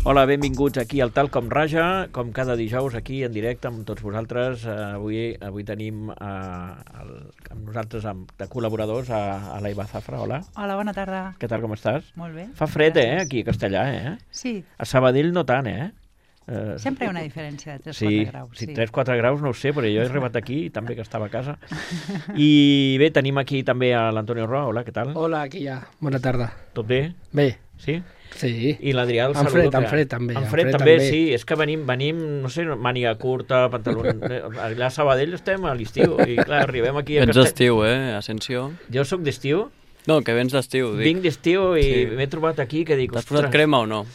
Hola, benvinguts aquí al Tal Com Raja, com cada dijous aquí en directe amb tots vosaltres. Avui tenim amb nosaltres de col·laboradors a l'Aiva Zafra. Hola. Hola, bona tarda. Què tal, com estàs? Molt bé. Fa fred, gràcies. aquí a Castellà, Sí. A Sabadell no tant, Sempre hi ha una diferència de 3-4 sí, graus. Sí, 3-4 graus no ho sé, però jo he arribat aquí, també que estava a casa. I bé, tenim aquí també a l'Antonio Roa. Hola, què tal? Hola, aquí ja. Bona tarda. Tot bé? Bé, Sí? sí. I l'Adrià el En saludo. fred també. En fred també, sí. És que venim, no sé, màniga curta, pantaló... Allà a Sabadell estem a l'estiu i clar, arribem aquí a Vens d'estiu, Asensio? Jo sóc d'estiu, No, que vens d'estiu, dic. vinc d'estiu i Sí. m'he trobat aquí que dic... T'has posat crema o no?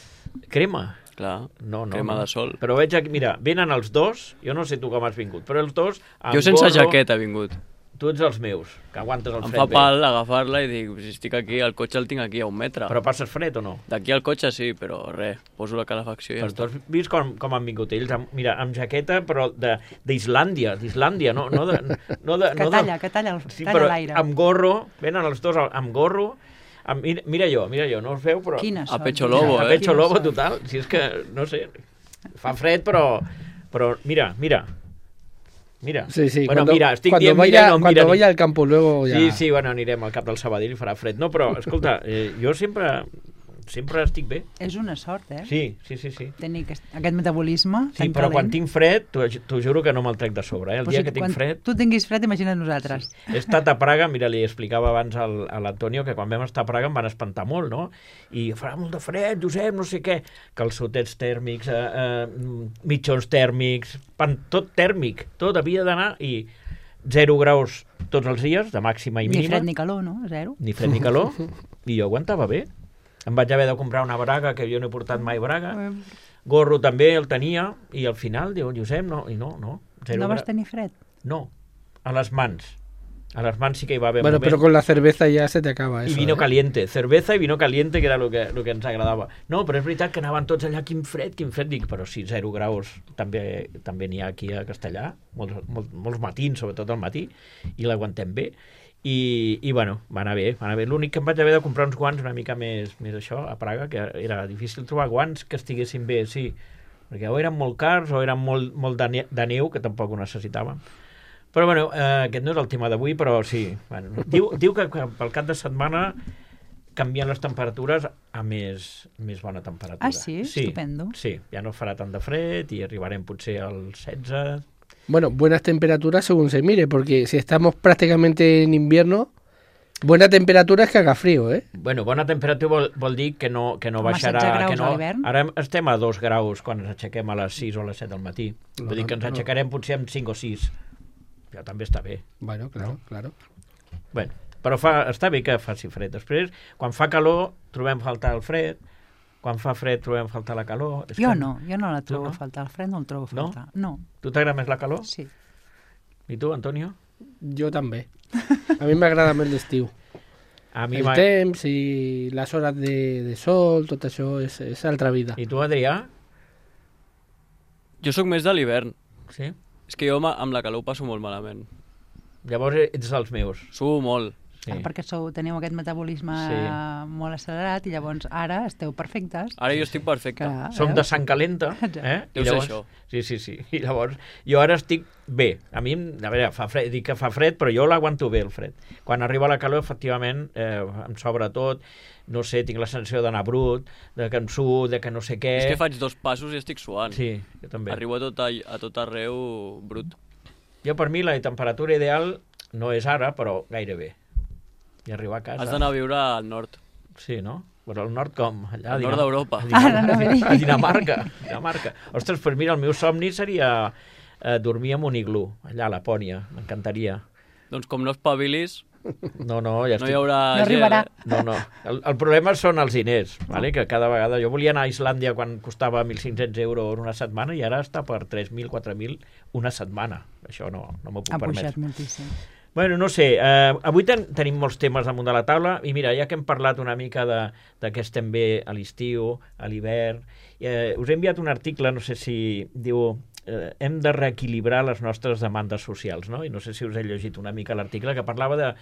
Crema? Clar, No, crema de sol. Però veig aquí, mira, venen els dos, jo no sé tu com has vingut, però els dos... amb Jo sense gorro, jaqueta he vingut. Tu ets els meus, que aguantes el Em fred fa bé. pal agafar-la i dic, si estic aquí, el cotxe el tinc aquí a 1 metre. Però passes fred o no? D'aquí al cotxe sí, però res, poso la calefacció i ja Però tu està. has vist com han vingut ells? Mira, amb jaqueta, però d'Islàndia, no de... Que talla Sí, talla però l'aire. amb gorro, venen els dos amb gorro, mira jo, no us veu, però... Quines A són? pecho lobo, A eh? pecho Quines lobo són? total, si és que, no sé, fa fred, però mira. Sí, sí. Bueno, cuando, mira, estic cuando dient, vaya, mira, no, cuando mira. vaya al campo luego ya... Sí, bueno, anirem al cap del Sabadell i farà fred. No, però, escolta, jo sempre estic bé. És una sort, Sí. Tenir aquest metabolisme Sí, tan però quan calent. tinc fred, t'ho juro que no me'l trec de sobre. El Però dia si que tinc quan fred... tu tinguis fred, imagina't nosaltres. He estat a Praga, mira, li explicava abans a l'Antonio que quan vam estar a Praga em van espantar molt, no? I farà molt de fred, Josep, no sé què. Calçotets tèrmics, mitjons tèrmics, tot tèrmic, tot havia d'anar i 0 graus tots els dies, de màxima i Ni mínima. fred ni calor, no? 0. Ni fred ni calor, i jo aguantava bé. Em vaig haver de comprar una braga, que jo no he portat mai braga. Gorro també el tenia, i al final diu, Josep, no, no. No vas tenir fred? No, a les mans. A les mans sí que hi va haver Bueno, moment. pero con la cerveza ya se te acaba eso. I vino caliente, cerveza i vino caliente, que era el que ens agradava. No, però és veritat que anaven tots allà, quin fred, dic, però sí, 0 graus també n'hi ha aquí a Castellà, molts matins, sobretot al matí, i l'aguantem bé. I bueno, va anar bé. L'únic que em vaig haver de comprar uns guants una mica més això, a Praga, que era difícil trobar guants que estiguessin bé, sí, perquè o eren molt cars o eren molt de neu, que tampoc ho necessitàvem. Però bueno, aquest no és el tema d'avui, però sí. Bueno, diu que pel cap de setmana canvien les temperatures a més bona temperatura. Ah, sí? Estupendo. Sí, ja no farà tant de fred i arribarem potser als 16... Bueno, buenas temperaturas según se mire, porque si estamos prácticamente en invierno, buena temperatura es que haga frío, ¿eh? Bueno, bona temperatura vol dir que no baixarà... 16 graus que no, a l'hivern. ara estem a 2 graus quan ens aixequem a les 6 o a les 7 del matí. Vull dir que ens aixecarem potser amb 5 o 6. Ja també està bé. Bueno, claro. Bueno, però està bé que faci fred. Després, quan fa calor, trobem faltar el fred. Quan fa fred, trobem faltar la calor. Jo no la trobo no? a faltar. El fred no el trobo a faltar. No? Tu t'agrada més la calor? Sí. I tu, Antonio? Yo también. A mí me agrada más el estiu. A mi El temps i les hores de sol, tot això és altra vida. I tu, Adrià? Jo sóc més de l'hivern. Sí? És que jo amb la calor ho passo molt malament. Llavors ets dels meus. Suo molt. Sí. Perquè teniu aquest metabolisme molt accelerat i llavors ara esteu perfectes. Ara jo estic perfecte. Clar, Som veus? de sang calenta. Deu ser això. Sí. I llavors, jo ara estic bé. A mi, a veure, dic que fa fred, però jo l'aguanto bé, el fred. Quan arriba la calor, efectivament, em sobra tot. No sé, tinc la sensació d'anar brut, de que em suo, de que no sé què. És que faig 2 passos i estic suant. Sí, jo també. Arribo a tot arreu brut. Jo, per mi, la temperatura ideal no és ara, però gairebé. I arribar a casa... Has d'anar a viure al nord. Sí, no? Però al nord com? Allà, Al nord d'Europa. A Dinamarca. Ostres, pues mira, el meu somni seria dormir en un iglú, allà a Lapònia. M'encantaria. Doncs com no espavilis, No, ja no estic... hi haurà... No arribarà. No. El problema són els diners, vale? Que cada vegada... Jo volia anar a Islàndia quan costava 1.500 euros una setmana i ara està per 3.000, 4.000 una setmana. Això no m'ho puc Ha permetre. pujat moltíssim. Bueno, no sé, avui tenim molts temes damunt de la taula i mira, ja que hem parlat una mica de què estem bé a l'estiu, a l'hivern, us he enviat un article, no sé si diu hem de reequilibrar les nostres demandes socials, no? I no sé si us he llegit una mica l'article que parlava de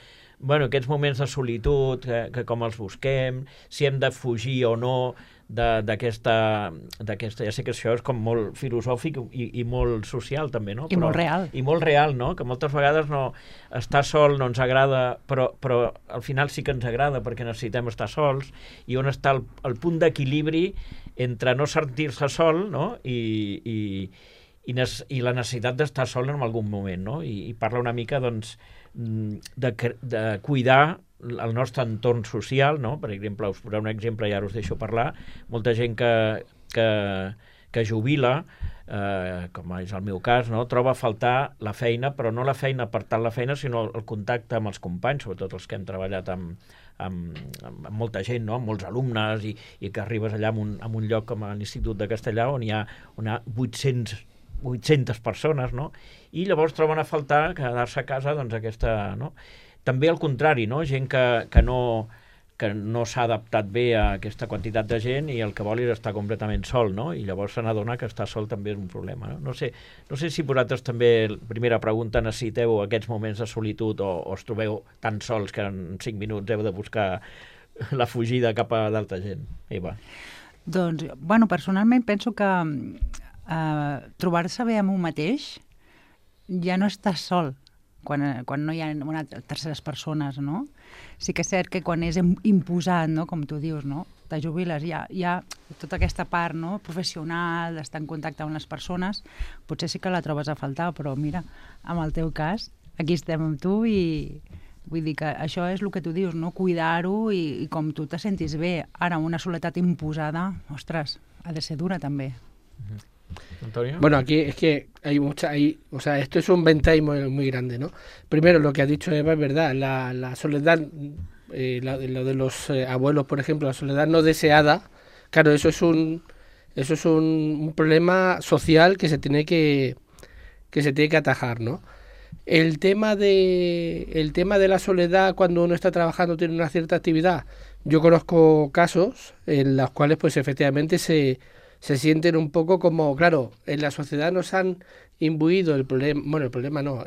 aquests moments de solitud, que com els busquem, si hem de fugir o no d'aquesta... Ja sé que això és com molt filosòfic i molt social, també, no? I molt real. I molt real, no? Que moltes vegades no, estar sol no ens agrada, però al final sí que ens agrada perquè necessitem estar sols, i on està el punt d'equilibri entre no sentir-se sol, no? I la necessitat d'estar sol en algun moment, no? I parla una mica, doncs, de cuidar el nostre entorn social, no? Per exemple, us posaré un exemple i ara us deixo parlar. Molta gent que jubila, com és el meu cas, no? Troba a faltar la feina, però no la feina per tant la feina, sinó el contacte amb els companys, sobretot els que hem treballat amb molta gent, no? Amb molts alumnes, i que arribes allà en un lloc com a l'Institut de Castellà on hi ha 800 persones, no? I llavors troben a faltar quedar-se a casa, doncs, aquesta... No? També al contrari, no? Gent que no s'ha adaptat bé a aquesta quantitat de gent i el que vol és estar completament sol, no? I llavors se n'adona que estar sol també és un problema, no? No sé si vosaltres també, primera pregunta, necessiteu aquests moments de solitud o us trobeu tan sols que en 5 minuts heu de buscar la fugida cap a d'altra gent. Eva. Doncs, bueno, personalment penso que trobar-se bé amb un mateix ja no estàs sol quan no hi ha terceres persones, no? Sí que és cert que quan és imposat, no? Com tu dius, no? Te jubiles, hi ha tota aquesta part, no? Professional, d'estar en contacte amb les persones, potser sí que la trobes a faltar, però mira, en el teu cas, aquí estem amb tu i vull dir que això és el que tu dius, no? Cuidar-ho i com tu te sentis bé. Ara, una soledat imposada, ostres, ha de ser dura també. Antonio. Bueno, aquí es que o sea, esto es un ventaja muy grande, ¿no? Primero, lo que ha dicho Eva es verdad, la soledad, lo de los abuelos, por ejemplo, la soledad no deseada, claro, eso es un problema social que se tiene que atajar, ¿no? El tema de la soledad cuando uno está trabajando, tiene una cierta actividad, yo conozco casos en los cuales, pues, efectivamente se sienten un poco como, claro, en la sociedad nos han imbuido el problema no,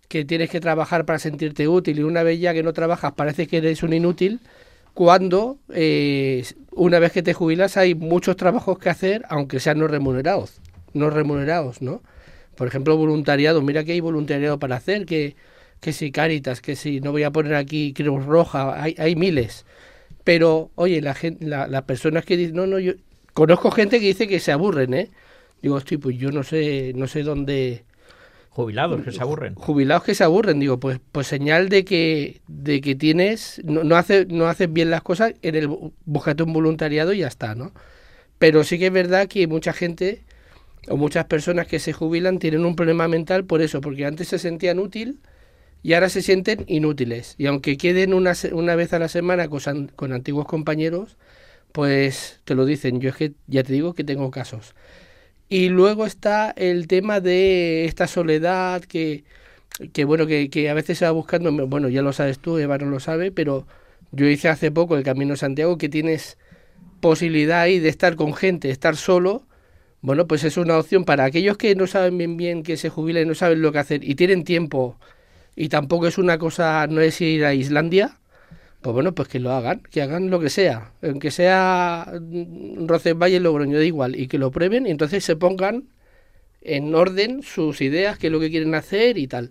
que tienes que trabajar para sentirte útil, y una vez ya que no trabajas parece que eres un inútil, cuando una vez que te jubilas hay muchos trabajos que hacer, aunque sean no remunerados, ¿no? Por ejemplo, voluntariado, mira que hay voluntariado para hacer, que si Cáritas, que si, no voy a poner aquí Cruz Roja, hay miles, pero, oye, las personas que dicen, no, yo conozco gente que dice que se aburren, ¿eh? Digo, hostia, pues yo no sé dónde... Jubilados que se aburren. Jubilados que se aburren, digo, pues señal de que tienes... No haces bien las cosas, búscate un voluntariado y ya está, ¿no? Pero sí que es verdad que mucha gente, o muchas personas que se jubilan, tienen un problema mental por eso, porque antes se sentían útil y ahora se sienten inútiles. Y aunque queden una vez a la semana con antiguos compañeros, pues te lo dicen. Yo es que ya te digo que tengo casos. Y luego está el tema de esta soledad que a veces se va buscando. Bueno, ya lo sabes tú, Eva no lo sabe, pero yo hice hace poco el Camino de Santiago, que tienes posibilidad ahí de estar con gente, estar solo. Bueno, pues es una opción para aquellos que no saben bien que se jubilan y no saben lo que hacer y tienen tiempo, y tampoco es una cosa, no es ir a Islandia. Pues bueno, pues que lo hagan, que hagan lo que sea, aunque sea Roncesvalles, Logroño, da igual, y que lo prueben y entonces se pongan en orden sus ideas, qué es lo que quieren hacer y tal.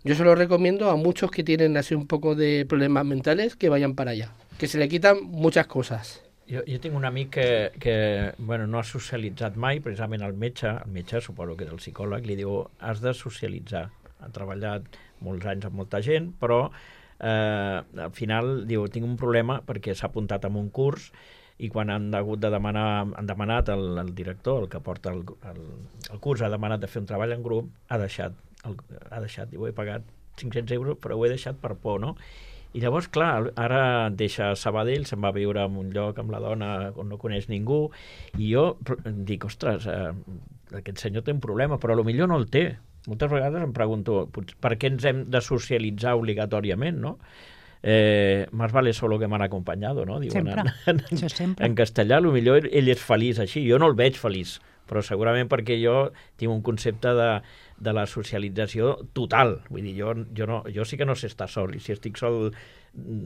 Yo se lo recomiendo a muchos que tienen así un poco de problemas mentales, que vayan para allá, que se le quitan muchas cosas. Jo tinc un amic que bueno, no ha socialitzat mai, precisament el metge, suposo que és el psicòleg, li diu, has de socialitzar. Ha treballat molts anys amb molta gent, però al final diu, tinc un problema perquè s'ha apuntat a un curs i quan han demanat el director, el que porta el curs, ha demanat de fer un treball en grup, ha deixat, diu, he pagat 500 euros però ho he deixat per por, no? I llavors, clar, ara deixa Sabadell, se'n va a viure en un lloc amb la dona on no coneix ningú, i jo dic, ostres, aquest senyor té un problema, però potser no el té. Moltes vegades em pregunto, per què ens hem de socialitzar obligatòriament, no? Más vale solo que m'han acompanyado, no? Diuen, això sempre. En castellà, potser ell és feliç així, jo no el veig feliç, però segurament perquè jo tinc un concepte de la socialització total. Vull dir, jo sí que no sé estar sol, i si estic sol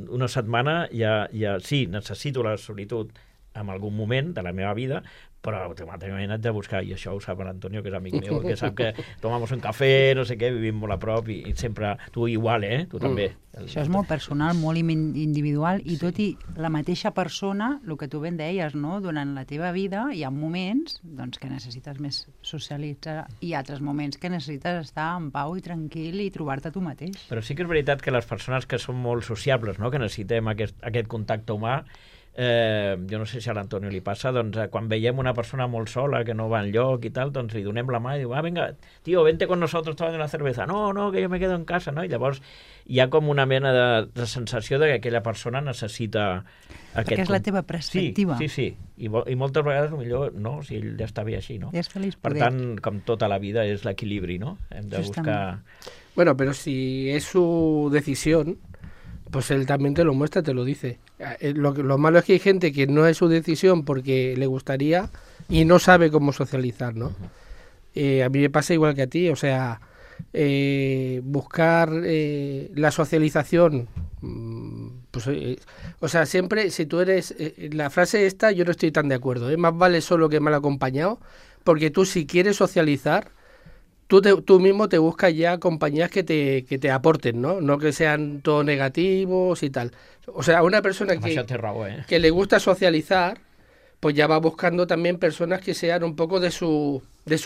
una setmana ja sí, necessito la solitud en algun moment de la meva vida, però automàticament haig de buscar, i això ho sap l'Antonio, que és amic meu, que sap que tomamos un cafè, no sé què, vivim molt a prop, i sempre, tu igual, tu també. Això és molt personal, molt individual, i tot i la mateixa persona, el que tu ben deies, no? Durant la teva vida hi ha moments doncs, que necessites més socialitzar i altres moments que necessites estar en pau i tranquil i trobar-te tu mateix. Però sí que és veritat que les persones que són molt sociables, no? Que necessitem aquest contacte humà, jo no sé si a l'Antonio li passa, doncs quan veiem una persona molt sola que no va enlloc i tal, doncs li donem la mà i diu, venga, tío, vente con nosotros tomando una cerveza. No, que yo me quedo en casa, no? I llavors hi ha com una mena de sensació de que aquella persona necessita aquest... Perquè és la teva perspectiva. Sí. I moltes vegades millor no, si ell ja està bé així, no? Ja és feliç per tant, com tota la vida, és l'equilibri, no? Hem de buscar... Bueno, pero si es su decisión, pues él también te lo muestra, te lo dice. Lo malo es que hay gente que no es su decisión porque le gustaría y no sabe cómo socializar, ¿no? A mí me pasa igual que a ti, o sea, buscar la socialización, pues, o sea, siempre, si tú eres, la frase esta yo no estoy tan de acuerdo, más vale solo que mal acompañado, porque tú si quieres socializar, tú mismo te buscas ya compañías que te aporten, ¿no? No que sean todo negativos y tal. O sea, una persona que le gusta socializar, pues ya va buscando también personas que sean un poco de su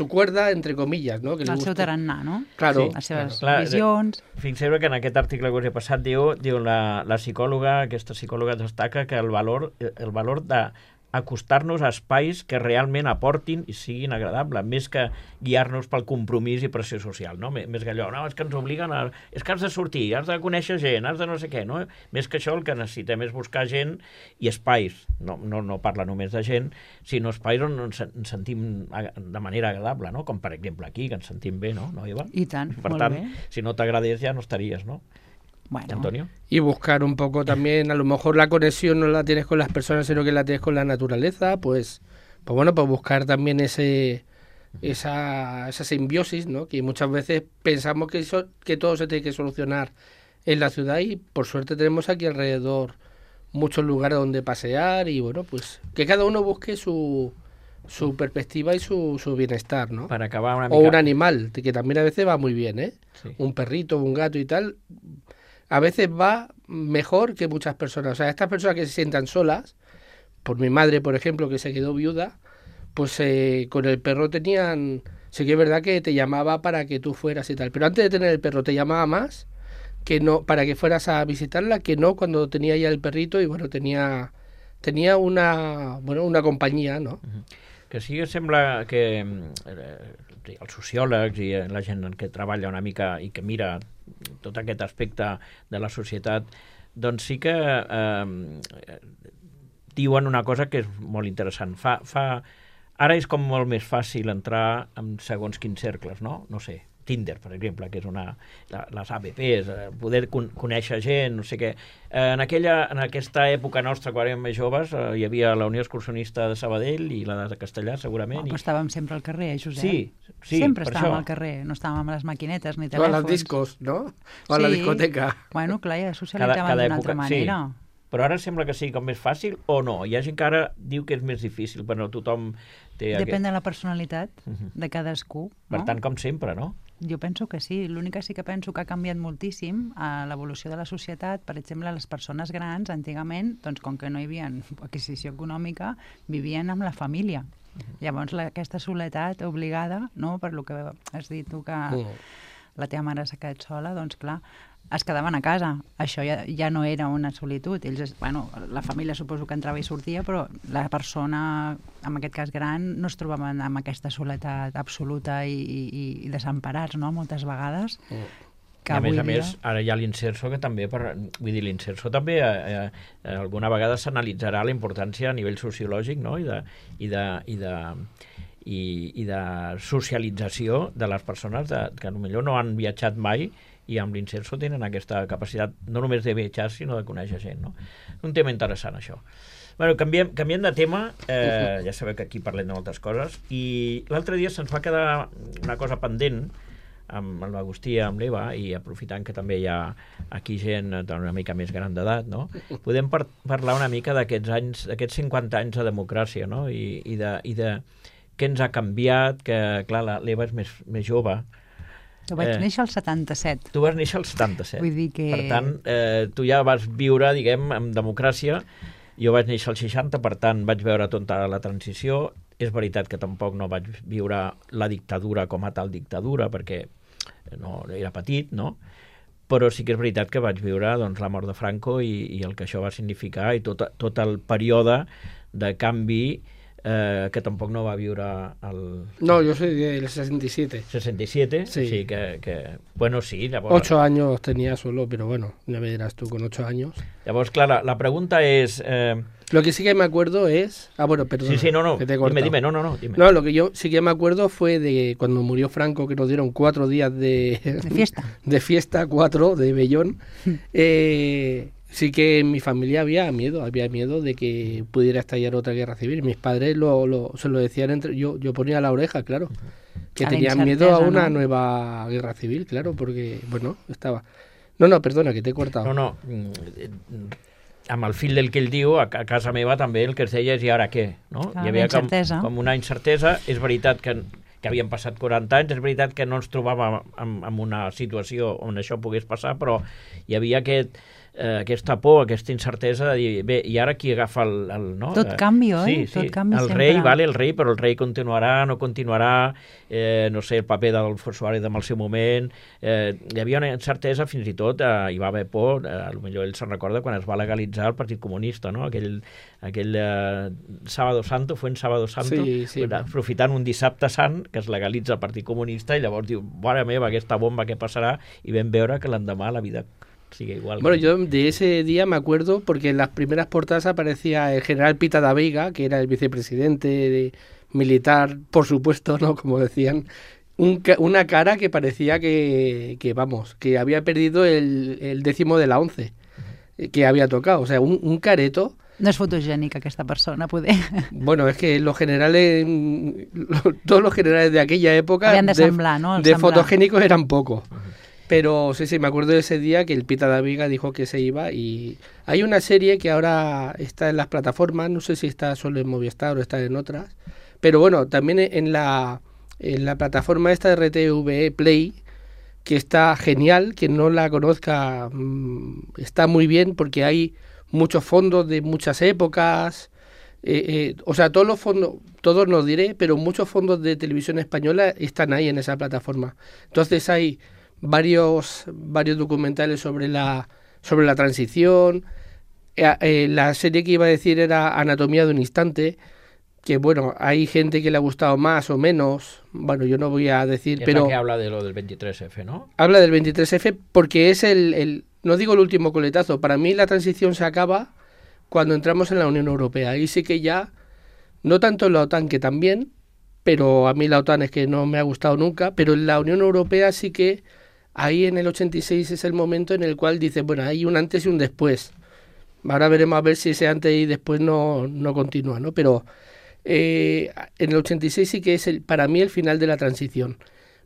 cuerda, entre comillas, no? Que el seu tarannà, no? Claro. Sí, les seves visions... Fixeu que en aquest article que us he passat diu la psicòloga, aquesta psicòloga destaca que el valor de acostar-nos a espais que realment aportin i siguin agradables, més que guiar-nos pel compromís i pressió social, no? Més que allò, no, és que ens obliguen és que has de sortir, has de conèixer gent, has de no sé què, no? Més que això el que necessitem és buscar gent i espais, no parla només de gent, sinó espais on ens sentim de manera agradable, no? Com per exemple aquí, que ens sentim bé, no, Eva? I tant, per molt tant, bé. Si no t'agradés ja no estaries, no? Bueno. Antonio. Y buscar un poco también, a lo mejor la conexión no la tienes con las personas, sino que la tienes con la naturaleza, pues bueno, pues buscar también esa simbiosis, ¿no? Que muchas veces pensamos que todo se tiene que solucionar en la ciudad y por suerte tenemos aquí alrededor muchos lugares donde pasear y bueno, pues que cada uno busque su perspectiva y su bienestar, ¿no? Para acabar una mica... O un animal, que también a veces va muy bien, ¿eh? Sí. Un perrito, un gato y tal... A veces va mejor que muchas personas. O sea, estas personas que se sientan solas, por mi madre, por ejemplo, que se quedó viuda, pues con el perro tenían... Sí que es verdad que te llamaba para que tú fueras y tal, pero antes de tener el perro te llamaba más que no para que fueras a visitarla, que no cuando tenía ya el perrito y bueno, tenía una compañía, ¿no? Que sí que sembla que els sociòlegs i la gent que treballa una mica i que mira tot aquest aspecte de la societat, doncs sí que diuen una cosa que és molt interessant. Ara és com molt més fàcil entrar en segons quins cercles, no? No sé, Tinder, per exemple, que és les APPs, poder conèixer gent, no sé què. En aquesta època nostra, quan érem més joves, hi havia la Unió Excursionista de Sabadell i la de Castellà, segurament. Però estàvem sempre al carrer, Josep. Sí, sempre estàvem al carrer, no estàvem amb les maquinetes ni telèfons. O a les discos, no? O a la discoteca. Bueno, clar, ja socialitzàvem d'una altra manera. Sí. Però ara sembla que sigui com més fàcil o no? Hi ha gent que ara diu que és més difícil, però tothom té... Depèn de la personalitat de cadascú. Per tant, com sempre, no? Jo penso que sí. L'únic que sí que penso que ha canviat moltíssim a l'evolució de la societat. Per exemple, les persones grans, antigament, doncs, com que no hi havia adquisició econòmica, vivien amb la família. Llavors, aquesta soledat obligada, no? Per lo que has dit tu, que la teva mare s'ha quedat sola, doncs clar, es quedaven a casa. Això ja no era una solitud. Ells, la família suposo que entrava i sortia, però la persona, en aquest cas gran, no es trobaven amb aquesta soledat absoluta i desemparats, no?, moltes vegades. Que a més, ara hi ha l'Inserso, que també, l'Inserso també alguna vegada s'analitzarà la importància a nivell sociològic, no?, i de socialització de les persones que potser no han viatjat mai i amb l'Inserso tenen aquesta capacitat no només de viatjar, sinó de conèixer gent, no? Un tema interessant, això. Bueno, canviem de tema, ja sabeu que aquí parlem de moltes coses, i l'altre dia se'ns va quedar una cosa pendent amb l'Agustí, amb l'Eva, i aprofitant que també hi ha aquí gent una mica més gran d'edat, no? Podem parlar una mica d'aquests anys, d'aquests 50 anys de democràcia, no? I de què ens ha canviat, que, clar, l'Eva és més jove. Jo vaig néixer al 77. Tu vas néixer al 77. Vull dir que... Per tant, tu ja vas viure, diguem, amb democràcia. Jo vaig néixer al 60, per tant, vaig veure tota la transició. És veritat que tampoc no vaig viure la dictadura com a tal dictadura, perquè no era petit, no? Però sí que és veritat que vaig viure doncs, la mort de Franco i el que això va significar i tot el període de canvi que tampoc no va viure el... No, yo soy del 67. 67, sí, sí que bueno, sí. Llavors, 8 años tenía solo, pero bueno, ya me dirás tú con 8 años. Llavors, clar, la pregunta és... Lo que sí que me acuerdo es... Ah, bueno, perdón. Sí, no, que te he dime, no, dime. No, lo que yo sí que me acuerdo fue de cuando murió Franco, que nos dieron 4 días de fiesta. De fiesta, 4, de vellón. Sí que en mi familia había miedo de que pudiera estallar otra guerra civil. Mis padres se lo decían entre... Yo ponía la oreja, claro. Que tenían miedo a una nueva guerra civil, claro, porque, bueno, estaba... No, perdona, que te he cortado. No, amb el fil del que ell diu, a casa meva també el que es deia és i ara què? No? Clar, hi havia com una incertesa. És veritat que havien passat 40 anys, és veritat que no ens trobàvem en una situació on això pogués passar, però hi havia aquesta por, aquesta incertesa de dir, bé, i ara qui agafa el no? Tot canvi, oi? Sí, Tot canvi el sempre. rei, vale, el rei, però el rei continuarà, no continuarà, no sé, el paper d'Adolfo Suárez en el seu moment, hi havia una incertesa, fins i tot hi va haver por, potser ell se'n recorda quan es va legalitzar el Partit Comunista, no? Aquell Sábado Santo, fue en Sábado Santo, sí, aprofitant un dissabte sant que es legalitza el Partit Comunista i llavors diu, mare meva, aquesta bomba, què passarà? I vam veure que l'endemà la vida sigue igual. Bueno, yo de ese día me acuerdo porque en las primeras portadas aparecía el general Pita da Veiga, que era el vicepresidente militar, por supuesto, ¿no? Como decían, una cara que parecía que había perdido el 10º de la 11 que había tocado, o sea, un careto. No és fotogènica aquesta persona, poder. Bueno, es que los generales, todos los generales de aquella época habían de semblar, ¿no? De fotogénicos eran pocos. Pero sí, me acuerdo de ese día que el Pita da Veiga dijo que se iba y hay una serie que ahora está en las plataformas, no sé si está solo en Movistar o está en otras, pero bueno, también en la plataforma esta de RTV Play, que está genial, quien no la conozca está muy bien porque hay muchos fondos de muchas épocas, o sea, todos los fondos, todos no diré, pero muchos fondos de televisión española están ahí en esa plataforma. Entonces hay varios documentales sobre la transición. La serie que iba a decir era Anatomía de un instante, que bueno, hay gente que le ha gustado más o menos, bueno, yo no voy a decir, pero... que habla de lo del 23F, ¿no? Habla del 23F porque es no digo el último coletazo, para mí la transición se acaba cuando entramos en la Unión Europea, ahí sí que ya, no tanto en la OTAN, que también, pero a mí la OTAN es que no me ha gustado nunca, pero en la Unión Europea sí que ahí en el 86 es el momento en el cual dice, bueno, hay un antes y un después. Ahora veremos a ver si ese antes y después no continúa, ¿no? Pero en el 86 sí que es para mí el final de la transición.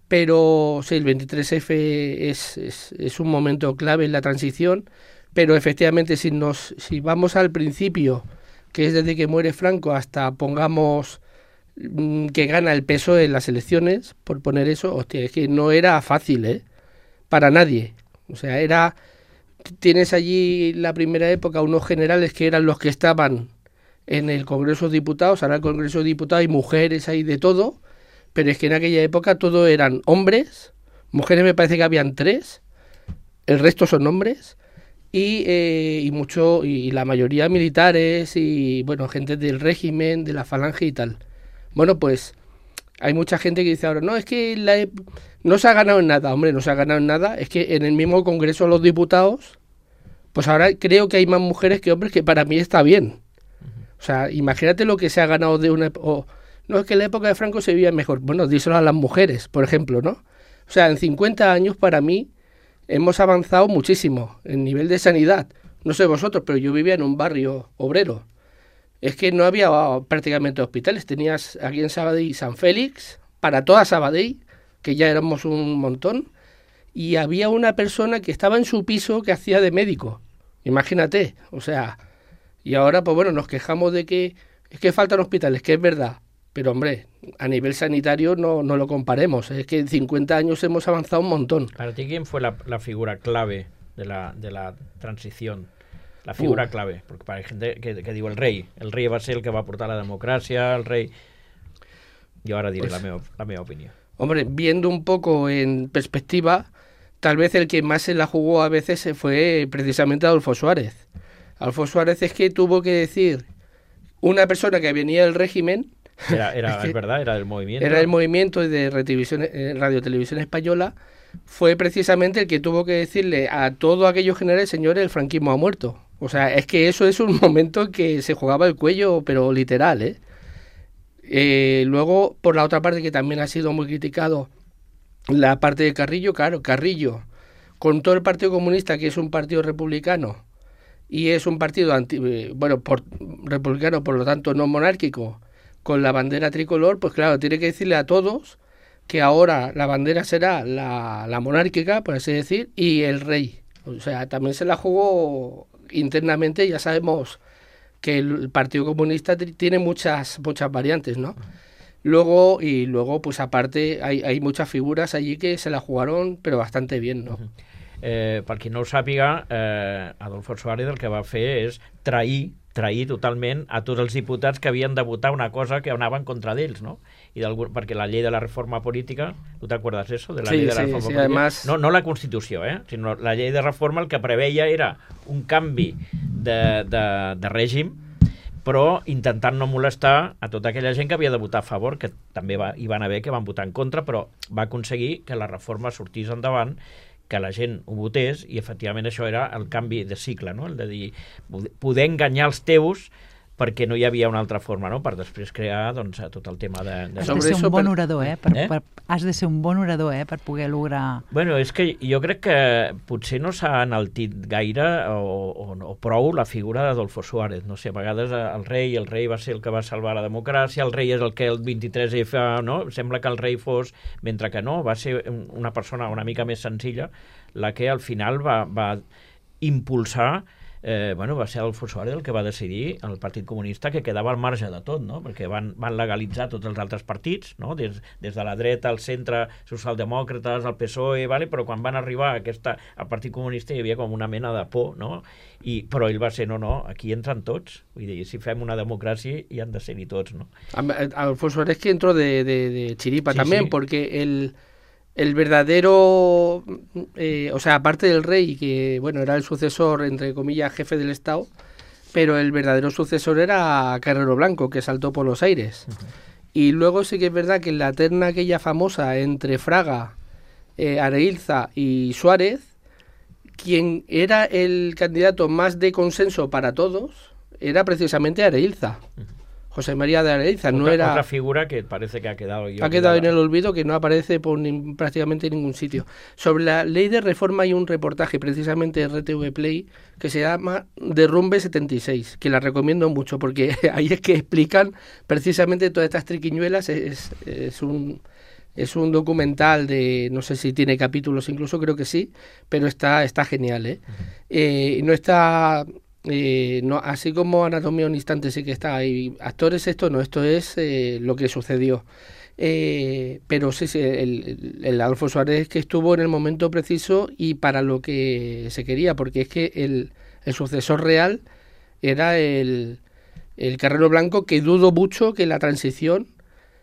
Pero sí, el 23F es un momento clave en la transición, pero efectivamente si vamos al principio, que es desde que muere Franco hasta, pongamos, que gana el PSOE en las elecciones, por poner eso, hostia, es que no era fácil, para nadie. O sea, tienes allí la primera época unos generales que eran los que estaban en el Congreso de Diputados, ahora el Congreso de Diputados hay mujeres, hay de todo, pero es que en aquella época todo eran hombres, mujeres me parece que habían 3, el resto son hombres, y la mayoría militares y bueno, gente del régimen, de la falange y tal. Bueno, pues hay mucha gente que dice ahora, no, es que no se ha ganado en nada. Hombre, no se ha ganado en nada, es que en el mismo Congreso de los Diputados, pues ahora creo que hay más mujeres que hombres, que para mí está bien. O sea, imagínate lo que se ha ganado de una... no, es que en la época de Franco se vivía mejor. Bueno, díselo a las mujeres, por ejemplo, ¿no? O sea, en 50 años para mí hemos avanzado muchísimo en nivel de sanidad. No sé vosotros, pero yo vivía en un barrio obrero. Es que no había prácticamente hospitales. Tenías aquí en Sabadell San Félix, para toda Sabadell, que ya éramos un montón, y había una persona que estaba en su piso que hacía de médico. Imagínate, o sea, y ahora pues bueno, nos quejamos de que es que faltan hospitales, que es verdad, pero hombre, a nivel sanitario no lo comparemos, es que en 50 años hemos avanzado un montón. Para ti, ¿quién fue la figura clave de la transición? La figura clave, porque para hay gente que diu el rei va ser el que va aportar la democràcia, el rei... Yo ahora diré Pues, la meva opinión. Hombre, viendo un poco en perspectiva, tal vez el que más se la jugó a veces fue precisamente Adolfo Suárez. Adolfo Suárez es que tuvo que decir una persona que venía del régimen... Es verdad, era del movimiento. Era el movimiento de Radio Televisión Española, fue precisamente el que tuvo que decirle a todos aquellos generales, señores, el franquismo ha muerto. O sea, es que eso es un momento que se jugaba el cuello, pero literal, ¿eh? Luego, por la otra parte, que también ha sido muy criticado, la parte de Carrillo, claro, Carrillo, con todo el Partido Comunista, que es un partido republicano, y es un partido republicano, por lo tanto no monárquico, con la bandera tricolor, pues claro, tiene que decirle a todos que ahora la bandera será la monárquica, por así decir, y el rey. O sea, también se la jugó internamente, ya sabemos que el Partido Comunista tiene muchas variantes, ¿no? Luego, pues aparte, hay muchas figuras allí que se la jugaron, pero bastante bien, ¿no? Per qui no ho sàpiga, Adolfo Suárez el que va fer és trair totalment a tots els diputats que havien de votar una cosa que anaven contra d'ells, no? Perquè la llei de la reforma política, tu t'acuerdes eso? De la llei de la reforma política? Además... No la Constitució, sinó la llei de reforma el que preveia era un canvi de règim, però intentant no molestar a tota aquella gent que havia de votar a favor, que també hi van haver que van votar en contra, però va aconseguir que la reforma sortís endavant, que la gent ho votés, i efectivament això era el canvi de cicle, no? El de dir, poder enganyar els teus perquè no hi havia una altra forma, no? Per després crear doncs, tot el tema de... Has de ser un bon orador, has de ser un bon orador, per poder lograr... Bueno, és que jo crec que potser no s'ha enaltit gaire o prou la figura d'Adolfo Suárez. No sé, a vegades el rei va ser el que va salvar la democràcia, el rei és el que el 23F, no? Sembla que el rei fos... Mentre que no, va ser una persona una mica més senzilla la que al final va impulsar... va ser Adolfo Suárez el que va decidir el Partit Comunista que quedava al marge de tot, no? Perquè van legalitzar tots els altres partits, no? Des de la dreta al centre, socialdemòcrates, al PSOE, vale? Però quan van arribar al Partit Comunista hi havia com una mena de por, no? Però ell va ser, no, aquí entran tots. Vull dir, si fem una democràcia hi han de ser-hi tots, no? Adolfo Suárez que entró de chiripa también, porque el verdadero, o sea, aparte del rey, que bueno, era el sucesor, entre comillas, jefe del Estado, pero el verdadero sucesor era Carrero Blanco, que saltó por los aires. Y luego sí que es verdad que en la terna aquella famosa entre Fraga, Areilza y Suárez, quien era el candidato más de consenso para todos era precisamente Areilza. José María de Areilza, no era... Otra figura que parece que ha quedado... Ha quedado en el olvido, que no aparece por prácticamente en ningún sitio. Sobre la ley de reforma hay un reportaje, precisamente de RTV Play, que se llama Derrumbe 76, que la recomiendo mucho, porque ahí es que explican precisamente todas estas triquiñuelas. Es un documental de, no sé si tiene capítulos, incluso creo que sí, pero está genial, ¿eh? No está... no, así como Anatomía un instante sí que está ahí, actores esto es lo que sucedió, pero sí, el Adolfo Suárez que estuvo en el momento preciso y para lo que se quería, porque es que el sucesor real era el Carrero Blanco, que dudo mucho que la transición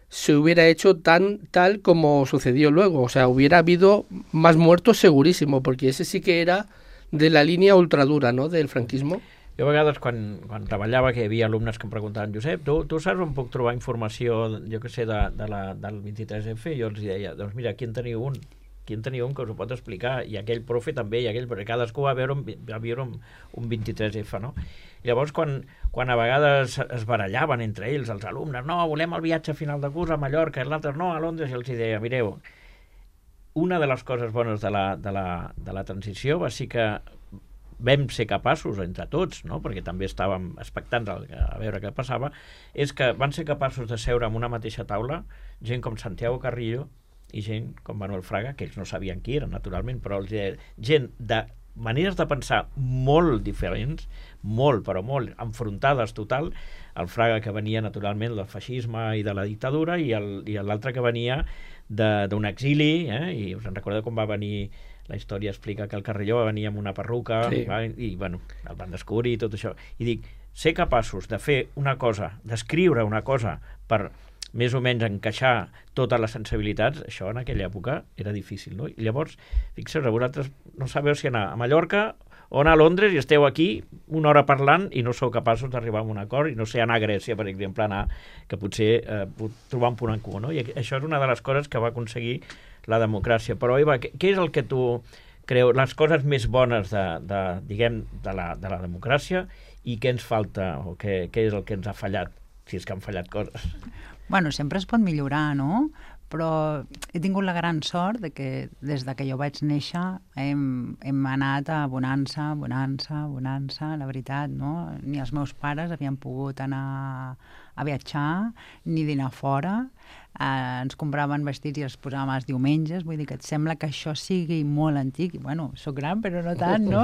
se hubiera hecho tal como sucedió luego, o sea, hubiera habido más muertos segurísimo, porque ese sí que era de la línia ultradura, no?, del franquismo. Jo a vegades, quan treballava, que hi havia alumnes que em preguntaven, Josep, tu saps on puc trobar informació, jo que sé, del 23F? Jo els deia, doncs mira, aquí en teniu un que us ho pot explicar, i aquell profe també, i aquell, perquè cadascú va viure un 23F, no? I llavors, quan a vegades es barallaven entre ells, els alumnes, no, volem el viatge final de curs a Mallorca, i l'altre no, a Londres, i els deia, mireu, una de les coses bones de la transició va ser que vam ser capaços, entre tots, no? Perquè també estàvem expectants a veure què passava, és que van ser capaços de seure en una mateixa taula gent com Santiago Carrillo i gent com Manuel Fraga, que ells no sabien qui era, naturalment, però gent de maneres de pensar molt diferents, molt, però molt, enfrontades total, el Fraga que venia naturalment del feixisme i de la dictadura i l'altre que venia d'un exili, i us en recordeu com va venir, la història explica que el Carrelló va venir amb una perruca, sí. i bueno, el van descobrir i tot això, i dic, ser capaços de fer una cosa, d'escriure una cosa per més o menys encaixar totes les sensibilitats, això en aquella època era difícil, no? I llavors, fixeu-vos, vosaltres no sabeu si anar a Mallorca o anar a Londres i esteu aquí una hora parlant i no sou capaços d'arribar a un acord, i no sé, anar a Grècia, per exemple, que potser trobar un punt en comú, no? I això és una de les coses que va aconseguir la democràcia. Però, Eva, què és el que tu creus, les coses més bones de la democràcia, i què ens falta, o què és el que ens ha fallat, si és que han fallat coses? Bueno, sempre es pot millorar, no? Però he tingut la gran sort de que des de que jo vaig néixer hem anat a bonança, la veritat, no? Ni els meus pares havien pogut anar a viatjar, ni dinar fora, ens compraven vestits i els posàvem els diumenges, vull dir que et sembla que això sigui molt antic, i bueno, soc gran però no tant, no?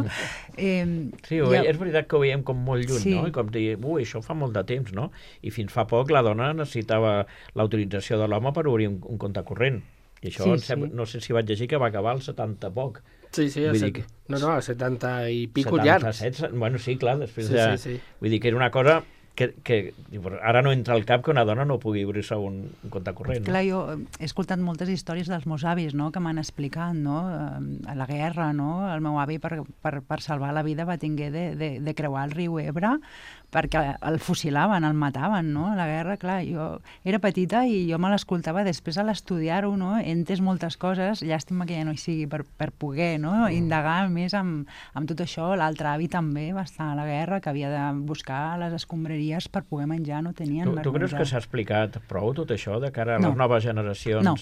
Sí, és veritat que ho veiem com molt lluny, sí. No? I com dir, això fa molt de temps, no? I fins fa poc la dona necessitava l'autorització de l'home per obrir un compte corrent. I això, sí. No sé si vaig llegir que va acabar als 70 poc. Sí, als 70 i pico llargs. Bueno, sí, clar, després sí. Vull dir que era una cosa que ara no entra al cap que una dona no pugui obrir-se un compte corrent. No? Clar, jo he escoltat moltes històries dels meus avis, no?, que m'han explicat, no?, a la guerra, no?, el meu avi per salvar la vida va tinguer de creuar el riu Ebre perquè el fusilaven, el mataven, no?, a la guerra. Clar, jo era petita i jo me l'escoltava, després a l'estudiar-ho, no?, he entès moltes coses, llàstima que ja no hi sigui per poder, no?, indagar més amb tot això. L'altre avi també va estar a la guerra, que havia de buscar les escombraries per poder menjar, no tenien. Tu creus que s'ha explicat prou tot això de cara a les noves generacions? No.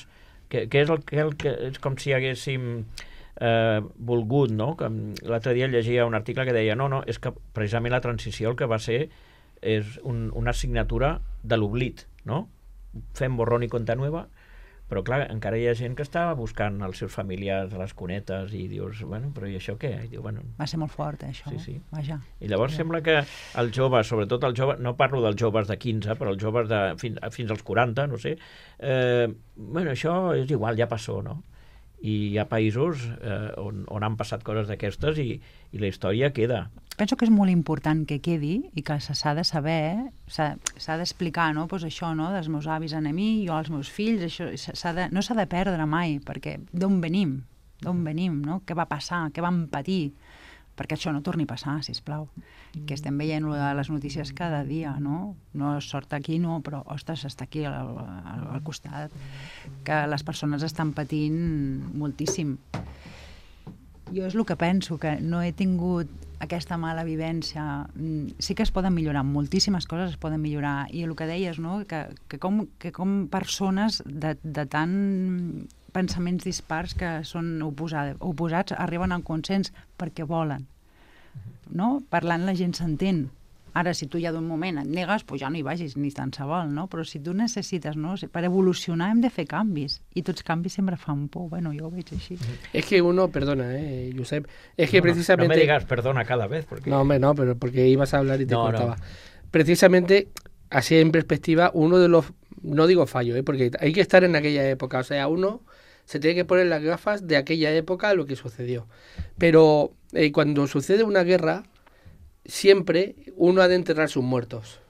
Què és el que és com si haguéssim volgut, no? L'altre dia llegia un article que deia no, és que precisament la transició el que va ser és una assignatura de l'oblit, no? Fem borrón i compte nueva, però clar, encara hi ha gent que està buscant els seus familiars a les cunetes i dius, bueno, però i això què? I diu, bueno, va ser molt fort, això. Sí. Vaja. I llavors sembla que els joves, sobretot els joves, no parlo dels joves de 15, però els joves fins als 40, no sé, bueno, això és igual, ja passó, no? I hi ha països on han passat coses d'aquestes i la història queda. Penso que és molt important que quedi i que s'ha de saber, s'ha d'explicar, no?, pues això, no?, dels meus avis a mi, jo als meus fills, això no s'ha de perdre mai, perquè d'on venim, no?, què va passar, què vam patir, perquè això no torni a passar, sisplau. Que estem veient les notícies cada dia, no? No sort aquí, no, però, ostres, està aquí al costat, que les persones estan patint moltíssim. Jo és el que penso, que no he tingut aquesta mala vivència. Sí que es poden millorar, moltíssimes coses es poden millorar, i el que deies, no?, que com persones de tant pensaments dispars que són oposats arriben al consens perquè volen, no? Parlant la gent s'entén. Ara, si tu ja d'un moment et negues, doncs ja no hi vagis ni tant se vol, no? Però si tu necessites, no?, per evolucionar hem de fer canvis, i tots canvis sempre fan por. Bueno, yo lo veig així. Es que uno, perdona, Josep, es que precisamente... No me digas perdona cada vez, porque... No, hombre, no, pero porque ibas a hablar y te cortaba. No. Precisamente, así en perspectiva, uno de los, no digo fallo, porque hay que estar en aquella época, o sea, uno se tiene que poner las gafas de aquella época, lo que sucedió. Pero cuando sucede una guerra, siempre uno ha de enterrar sus muertos.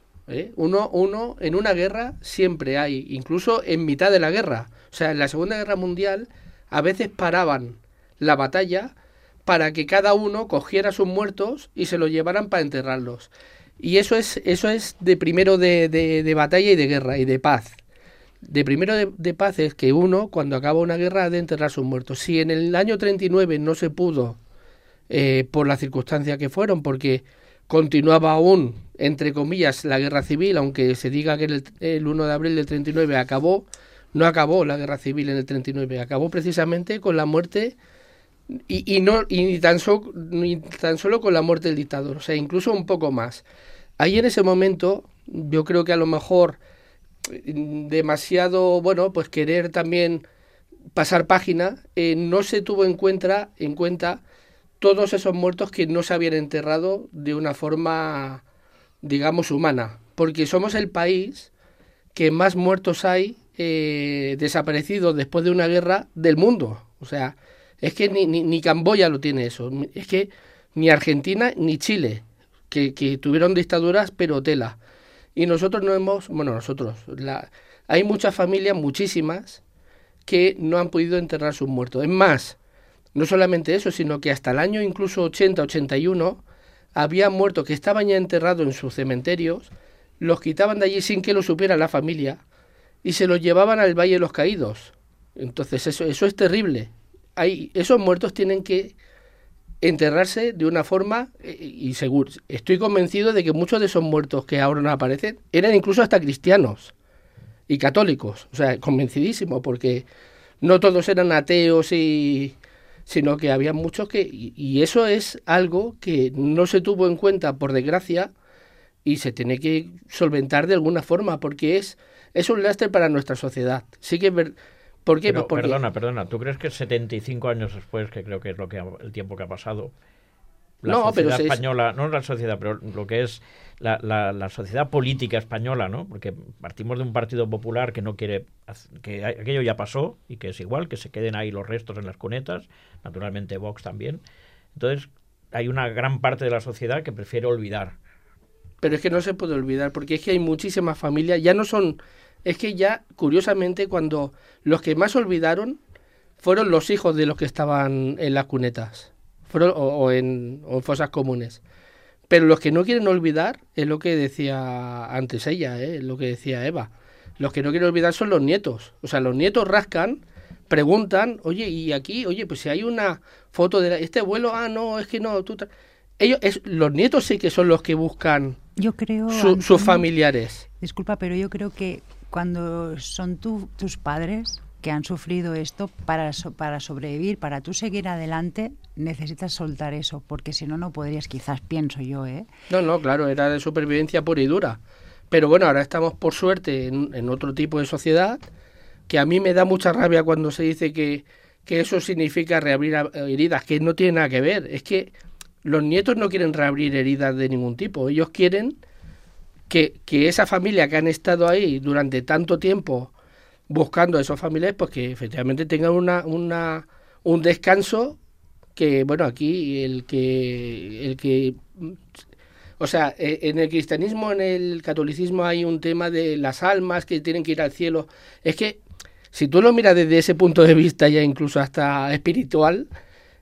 Uno en una guerra siempre hay, incluso en mitad de la guerra. O sea, en la Segunda Guerra Mundial a veces paraban la batalla para que cada uno cogiera sus muertos y se los llevaran para enterrarlos. Y eso es de primero de batalla y de guerra y de paz. De primero de paz es que uno, cuando acaba una guerra, ha de enterrar sus muertos. Si en el año 39 no se pudo, por las circunstancias que fueron, porque continuaba aún, entre comillas, la guerra civil, aunque se diga que el 1 de abril del 39 acabó, no acabó la guerra civil en el 39, acabó precisamente con la muerte, y ni tan solo con la muerte del dictador, o sea, incluso un poco más. Ahí en ese momento, yo creo que a lo mejor demasiado, bueno, pues querer también pasar página, no se tuvo en cuenta todos esos muertos que no se habían enterrado de una forma, digamos, humana, porque somos el país que más muertos hay desaparecidos después de una guerra del mundo. O sea, es que ni Camboya lo tiene eso, es que ni Argentina ni Chile, que tuvieron dictaduras, pero tela. Y nosotros no hemos, hay muchas familias, muchísimas, que no han podido enterrar sus muertos. Es más, no solamente eso, sino que hasta el año incluso 80, 81, había muertos que estaban ya enterrados en sus cementerios, los quitaban de allí sin que lo supiera la familia y se los llevaban al Valle de los Caídos. Entonces eso es terrible. Esos muertos tienen que enterrarse de una forma, y seguro, estoy convencido de que muchos de esos muertos que ahora no aparecen eran incluso hasta cristianos y católicos, o sea, convencidísimo, porque no todos eran ateos, sino que había muchos que, y eso es algo que no se tuvo en cuenta, por desgracia, y se tiene que solventar de alguna forma, porque es un lastre para nuestra sociedad. Sí que ¿Por qué? Pero, Pues porque... perdona, ¿tú crees que 75 años después, que creo que es el tiempo que ha pasado, la No, sociedad pero española, no la sociedad, pero lo que es la sociedad política española, ¿no? Porque partimos de un partido popular que no quiere, que aquello ya pasó y que es igual, que se queden ahí los restos en las cunetas, naturalmente Vox también. Entonces, hay una gran parte de la sociedad que prefiere olvidar. Pero es que no se puede olvidar, porque es que hay muchísimas familias, ya no son... Es que ya, curiosamente, cuando los que más olvidaron fueron los hijos de los que estaban en las cunetas, o en fosas comunes. Pero los que no quieren olvidar es lo que decía antes ella, lo que decía Eva. Los que no quieren olvidar son los nietos. O sea, los nietos rascan, preguntan, oye, y aquí, oye, pues si hay una foto de este abuelo, no, es que no, los nietos sí que son los que buscan, yo creo, sus familiares. Disculpa, pero yo creo que cuando son tus padres que han sufrido esto, para sobrevivir, para tú seguir adelante, necesitas soltar eso, porque si no, no podrías, quizás, pienso yo, No, claro, era de supervivencia pura y dura. Pero bueno, ahora estamos, por suerte, en otro tipo de sociedad, que a mí me da mucha rabia cuando se dice que eso significa reabrir heridas, que no tiene nada que ver. Es que los nietos no quieren reabrir heridas de ningún tipo. Ellos quieren que esa familia que han estado ahí durante tanto tiempo buscando a esos familiares, pues que efectivamente tengan un descanso, que, bueno, aquí el que o sea, en el cristianismo, en el catolicismo hay un tema de las almas que tienen que ir al cielo. Es que si tú lo miras desde ese punto de vista, ya incluso hasta espiritual,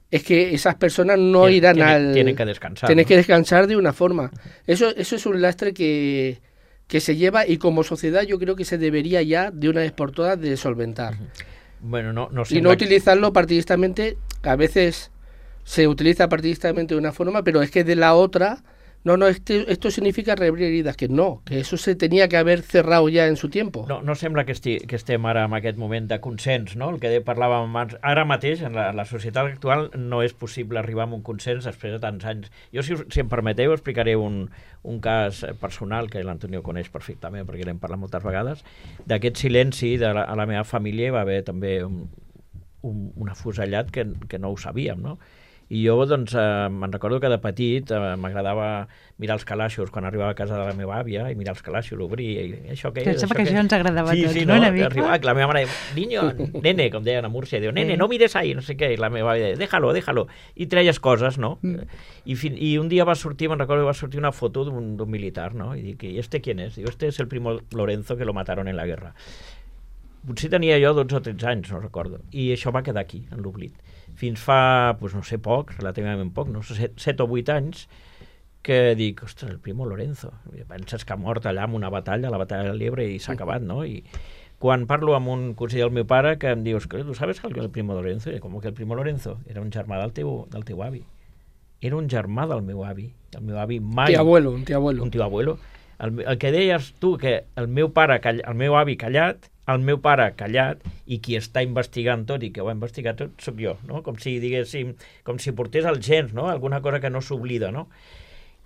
es que esas personas no irán tienen que descansar. Tienen que descansar de una forma. Eso es un lastre que se lleva, y como sociedad yo creo que se debería ya de una vez por todas de solventar. Bueno, no y no utilizarlo partidistamente. A veces se utiliza partidistamente de una forma, pero es que de la otra, esto significa reabrir heridas, que eso se tenía que haver cerrado ja en su tiempo. No sembla que estem ara en aquest moment de consens, no? El que parlàvem abans. Ara mateix, en la societat actual, no és possible arribar a un consens després de tants anys. Jo, si em permeteu, explicaré un cas personal que l'Antonio coneix perfectament, perquè l'hem parlat moltes vegades. D'aquest silenci a la meva família va haver també un afusellat que no ho sabíem, no? I jo, doncs, me'n recordo que de petit m'agradava mirar els calaixos quan arribava a casa de la meva àvia, i mirar els calaixos, obrir, i això què és? Sembla que això ens agradava a tots, no? Una mica. Arribava, la meva mare, nene, com deien a Múrcia, diu, nene, no mires ahí, no sé què, i la meva àvia deia, déjalo, i treies coses, no? I un dia me'n recordo que va sortir una foto d'un militar, no? I dic, ¿y este quién es? Diu, este es el primo Lorenzo que lo mataron en la guerra. Potser tenia jo 12 o 13 anys, no recordo, i això va quedar aquí, en l'oblit. Fins fa, doncs no sé, poc, relativament poc, no sé, 7 o 8 anys, que dic, ostres, el primo Lorenzo. Penses que ha mort allà en una batalla, la batalla de l'Ebre, i s'ha acabat, no? I quan parlo amb un conseller del meu pare, que em dius, ¿tú sabes que el primo Lorenzo? I com que el primo Lorenzo era un germà del teu avi. Era un germà del meu avi. El meu avi mai... Un tio abuelo. El que deies tu, que el meu avi callat, el meu pare callat, i qui està investigant tot i que ho ha investigat tot sóc jo, no? Com si diguéssim, com si portés els gens, no? Alguna cosa que no s'oblida, no?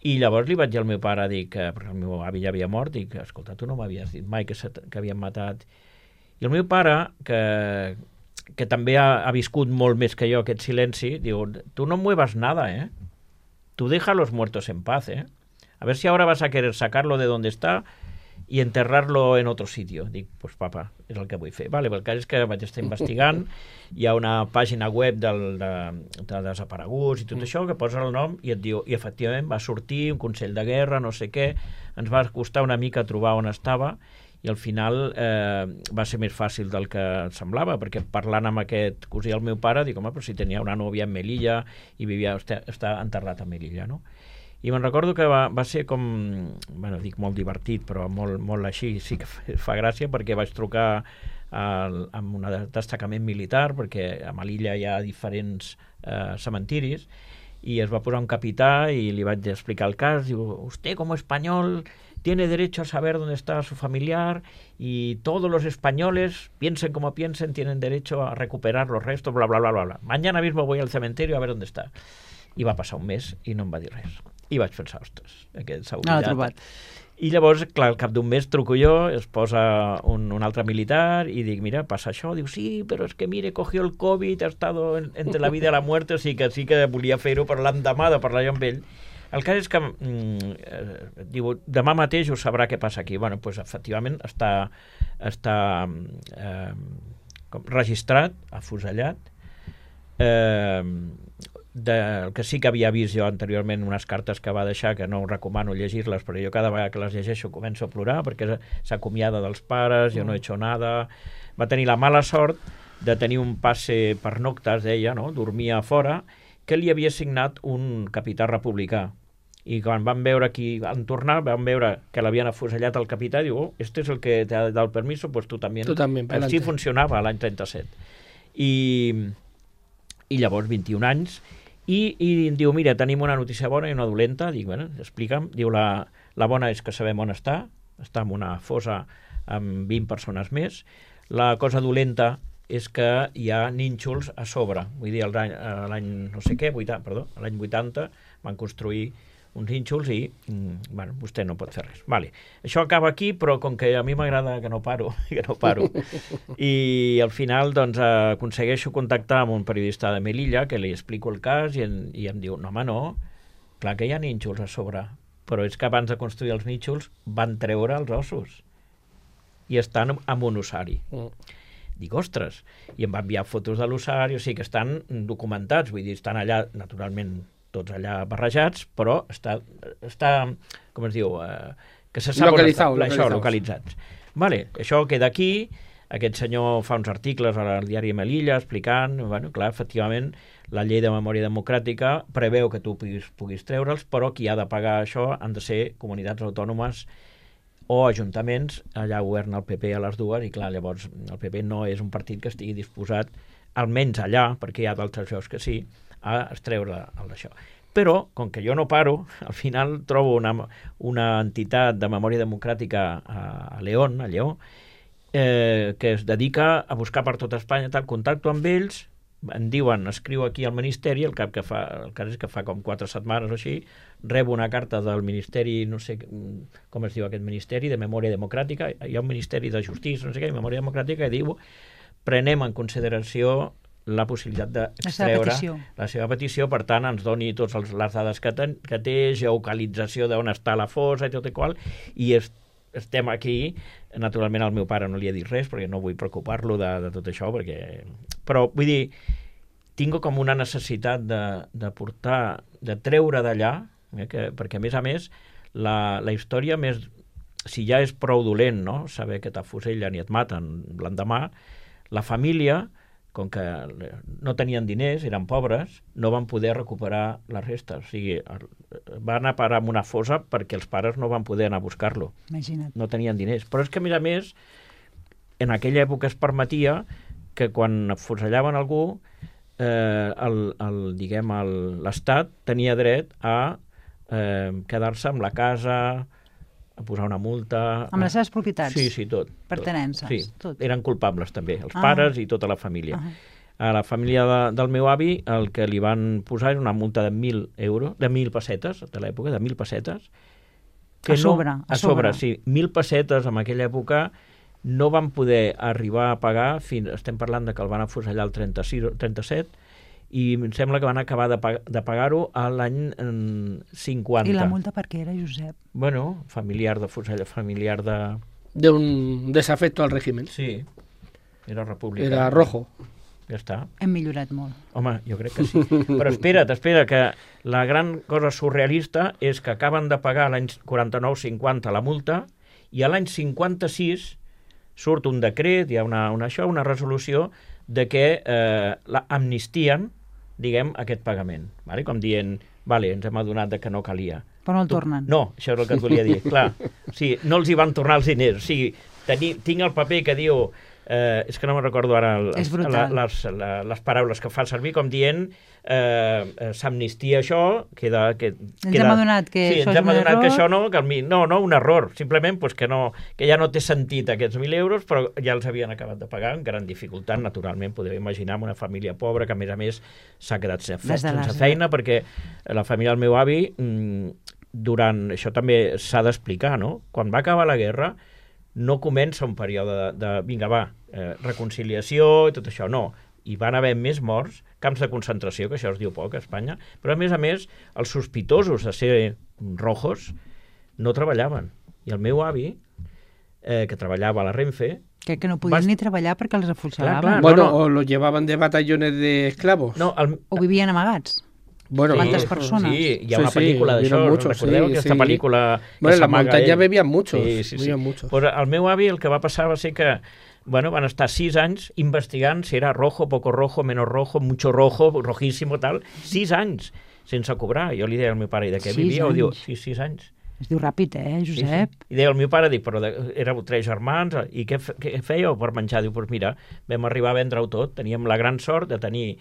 I llavors li vaig dir al meu pare, perquè el meu avi ja havia mort, dic, escolta, tu no m'havies dit mai que havien matat. I el meu pare, que que també ha viscut molt més que jo aquest silenci, diu, tu no muevas nada, tú deja a los muertos en paz, a ver si ahora vas a querer sacarlo de donde está y enterrarlo en otro sitio. Dic, pues papa, és el que vull fer. Vale, el cas és que vaig estar investigant, hi ha una pàgina web de desapareguts i tot això, que posa el nom i et diu, i efectivament va sortir un consell de guerra, no sé què, ens va costar una mica trobar on estava, i al final va ser més fàcil del que semblava, perquè parlant amb aquest cosí del meu pare, dic, home, però si tenia una nòvia en Melilla i vivia, està enterrat a Melilla, no? I me'n recordo que va ser com, bueno, dic molt divertit, però molt així, sí que fa gràcia, perquè vaig trucar amb un destacament militar, perquè a Melilla hi ha diferents cementiris, i es va posar un capità i li vaig explicar el cas, diu, usted como español tiene derecho a saber dónde está su familiar y todos los españoles, piensen como piensen, tienen derecho a recuperar los restos, bla, bla, bla, bla, bla. Mañana mismo voy al cementerio a ver dónde está. I va passar un mes i no em va dir res. I vaig pensar, ostres, aquest s'ha oblidat. No l'ha trobat. I llavors, clar, al cap d'un mes truco jo, es posa un altre militar i dic, mira, passa això. Diu, sí, però és que mire, cogió el Covid, ha estado entre la vida i la muerte, o sigui que sí que volia fer-ho per l'endemà de parlar jo amb ell. El cas és que diu, demà mateix ho sabrà què passa aquí. Bueno, doncs efectivament està registrat, afusellat. El que sí que havia vist jo anteriorment unes cartes que va deixar, que no recomano llegir-les, però jo cada vegada que les llegeixo començo a plorar, perquè s'acomiada dels pares, jo no he hecho nada. Va tenir la mala sort de tenir un passe per noctes, deia, no? Dormia a fora, que li havia signat un capità republicà. I quan van veure qui van tornar, van veure que l'havien afusellat el capità, i diu, oh, este es el que te ha dado el permiso, pues tu també. Així funcionava l'any 37. I llavors, 21 anys, i diu, mira, tenim una notícia bona i una dolenta. Dic, bueno, explica'm. Diu, la bona és que sabem on està en una fossa amb 20 persones més. La cosa dolenta és que hi ha nínxols a sobre. Vull dir, l'any no sé què, l'any 80 van construir uns nínxols i, bueno, vostè no pot fer res. Vale. Això acaba aquí, però com que a mi m'agrada que no paro, I al final, doncs, aconsegueixo contactar amb un periodista de Melilla, que li explico el cas i em diu, no, home, no, clar que hi ha nínxols a sobre, però és que abans de construir els nínxols van treure els ossos i estan en un ossari. Dic, ostres, i em va enviar fotos de l'ossari, o sigui que estan documentats, vull dir, estan allà, naturalment, tots allà barrejats, però està com es diu, que se sap localitzats. Vale, això queda aquí, aquest senyor fa uns articles al diari Melilla explicant, bueno, clar, efectivament, la llei de memòria democràtica preveu que tu puguis treure'ls, però qui ha de pagar això han de ser comunitats autònomes o ajuntaments, allà governa el PP a les dues, i clar, llavors el PP no és un partit que estigui disposat, almenys allà, perquè hi ha d'altres llocs que sí, a extreure d'això. Però, com que jo no paro, al final trobo una entitat de memòria democràtica a León, a Lleó, que es dedica a buscar per tota Espanya, contacto amb ells, em diuen, escriu aquí al Ministeri, el cas és que fa com 4 setmanes o així, rebo una carta del Ministeri, no sé com es diu aquest Ministeri, de Memòria Democràtica, hi ha un Ministeri de Justícia, no sé què, Memòria Democràtica, i diu, prenem en consideració la possibilitat d'extreure la seva petició, per tant ens doni totes les dades que té, geocalització d'on està la fossa i tot i qual, i estem aquí. Naturalment al meu pare no li he dit res perquè no vull preocupar-lo de tot això, però vull dir, tinc com una necessitat de portar, de treure d'allà, perquè a més la història més, si ja és prou dolent, no? Saber que t'afusellen i et maten l'endemà, la família, com que no tenien diners, eren pobres, no van poder recuperar les restes. O sigui, van anar a parar en una fossa perquè els pares no van poder anar a buscar-lo. Imagina't. No tenien diners. Però és que, a més, en aquella època es permetia que quan afusellaven algú, l'Estat tenia dret a quedar-se amb la casa, a posar una multa... Amb les seves propietats? Sí, tot. Pertenences? Sí, tot. Eren culpables també, els pares i tota la família. A la família del meu avi el que li van posar és una multa de 1.000 euros, de 1.000 pessetes, de l'època, de 1.000 pessetes. A sobre, sí. 1.000 pessetes en aquella època no van poder arribar a pagar, estem parlant de que el van afusellar el 36 o 37, i em sembla que van acabar de pagar-ho a l'any 50. I la multa per què era, Josep? Bueno, familiar de fusellar, familiar de... De un desafecto al régimen. Sí, era republicà. Era rojo. Ja està. Hem millorat molt. Home, jo crec que sí. Però espera, que la gran cosa surrealista és que acaben de pagar l'any 49-50 la multa i a l'any 56 surt un decret, hi ha una resolució de que amnistien, diguem, aquest pagament. Vale? Com dient, vale, ens hem adonat de que no calia. Però no el tornen. No, això és el que et volia dir. Clar, sí, no els hi van tornar els diners. O sigui, tinc el paper que diu... és que no me'n recordo ara les paraules que fa servir, com dient s'amnistia això, ens hem adonat que sí, això és un error. Que això no, un error, simplement pues, que ja no té sentit aquests 1.000 euros, però ja els havien acabat de pagar amb gran dificultat, naturalment, podeu imaginar una família pobra que a més s'ha quedat sense feina, perquè la família del meu avi, durant, això també s'ha d'explicar, no? Quan va acabar la guerra, no comença un període de vinga, va, reconciliació i tot això, no. Hi van haver més morts, camps de concentració, que això es diu poc a Espanya, però a més, els sospitosos de ser rojos no treballaven. I el meu avi, que treballava a la Renfe... Que no podien ni treballar perquè els afusellaven. Bueno, o los llevaban de batallones de esclavos. No, o vivien amagats. Bueno, ¿cuántas personas? Sí, hi ha una pel·lícula d'això, recordeu aquesta pel·lícula... Bueno, en la muntanya bebien muchos. Bebien muchos. Pues el meu avi el que va passar va ser que van estar 6 anys investigant si era rojo, poco rojo, menos rojo, mucho rojo, rojísimo, tal. 6 anys sense cobrar. Jo li deia al meu pare, i de què vivíeu? Diu, sí, 6 anys. Es diu ràpid, Josep? Sí. I deia al meu pare, però éreu 3 germans, i què fèieu per menjar? Diu, doncs mira, vam arribar a vendre-ho tot. Teníem la gran sort de tenir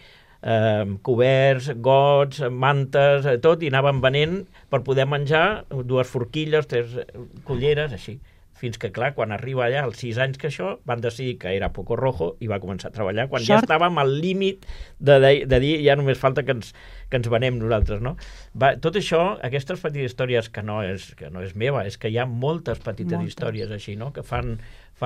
coberts, gots, mantes, tot, i anàvem venent per poder menjar 2 forquilles, 3 culleres, així. Fins que, clar, quan arriba allà, als 6 anys que això, van decidir que era poco rojo i va començar a treballar, quan ja estàvem al límit de dir ja només falta que ens venem nosaltres, no? Tot això, aquestes petites històries que no és meva, és que hi ha moltes petites històries així, no?, que fan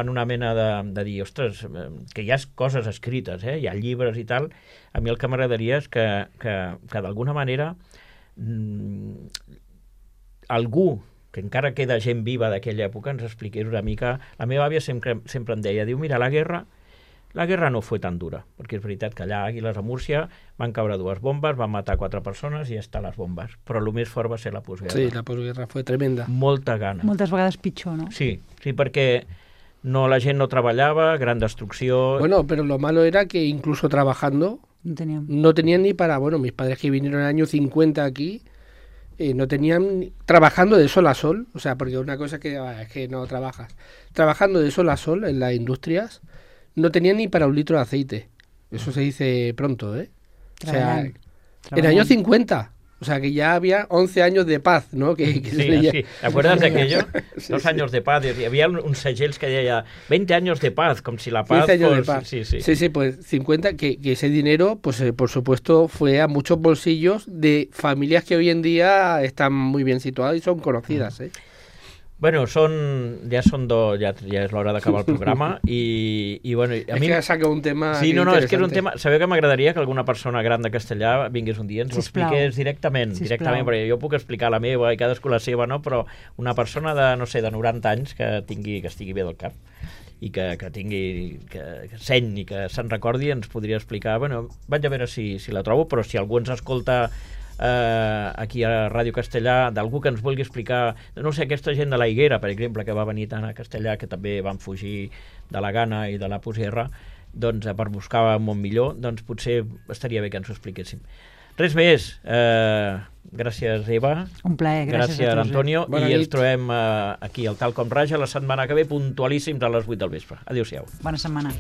una mena de dir, ostres, que hi ha coses escrites, hi ha llibres i tal. A mi el que m'agradaria és que d'alguna manera algú que encara queda gent viva d'aquella època ens expliqués una mica. La meva àvia sempre em deia, diu, mira, la guerra no fue tan dura, perquè és veritat que allà a Àguiles, a Múrcia, van caure 2 bombes, van matar 4 persones i ja estan les bombes. Però el més fort va ser la postguerra. Sí, la postguerra fue tremenda. Molta gana. Moltes vegades pitjor, no? Sí, perquè la gent no treballaba, gran destrucció... Bueno, pero lo malo era que incluso trabajando no tenían ni para... Bueno, mis padres que vinieron en el año 50 aquí, no tenían... Trabajando de sol a sol, o sea, porque una cosa es que no trabajas. Trabajando de sol a sol en las industrias, no tenían ni para 1 litro de aceite. Eso se dice pronto, ¿eh? O sea, en el año 50... O sea, que ya había 11 años de paz, ¿no? Sí. ¿Te acuerdas de aquello? 2 años de paz. Y había uns segells que deia 20 años de paz, como si la paz... 15 años de paz. Sí, pues 50, que ese dinero, pues por supuesto, fue a muchos bolsillos de familias que hoy en día están muy bien situadas y son conocidas, ¿eh? Bueno, ja és l'hora d'acabar el programa i bueno... A mi que saca un tema sí, no, és que és un tema... Sabeu que m'agradaria que alguna persona gran de Castellà vingués un dia i ens ho expliqués directament, perquè jo puc explicar la meva i cadascú la seva, no? Però una persona de, no sé, de 90 anys que estigui bé del cap i que seny i que se'n recordi, ens podria explicar. Bueno, vaig a veure si la trobo, però si algú ens escolta aquí a Ràdio Castellà, d'algú que ens vulgui explicar, no sé, aquesta gent de la Higuera, per exemple, que va venir tant a Castellà, que també van fugir de la Gana i de la postguerra, doncs per buscar un món millor, doncs potser estaria bé que ens ho expliquéssim. Res més. Gràcies, Eva. Un plaer, gràcies a tots. Antonio. I ens trobem aquí al Tal Com Raja la setmana que ve, puntualíssims a les 8 del vespre. Adéu-siau. Bona setmana.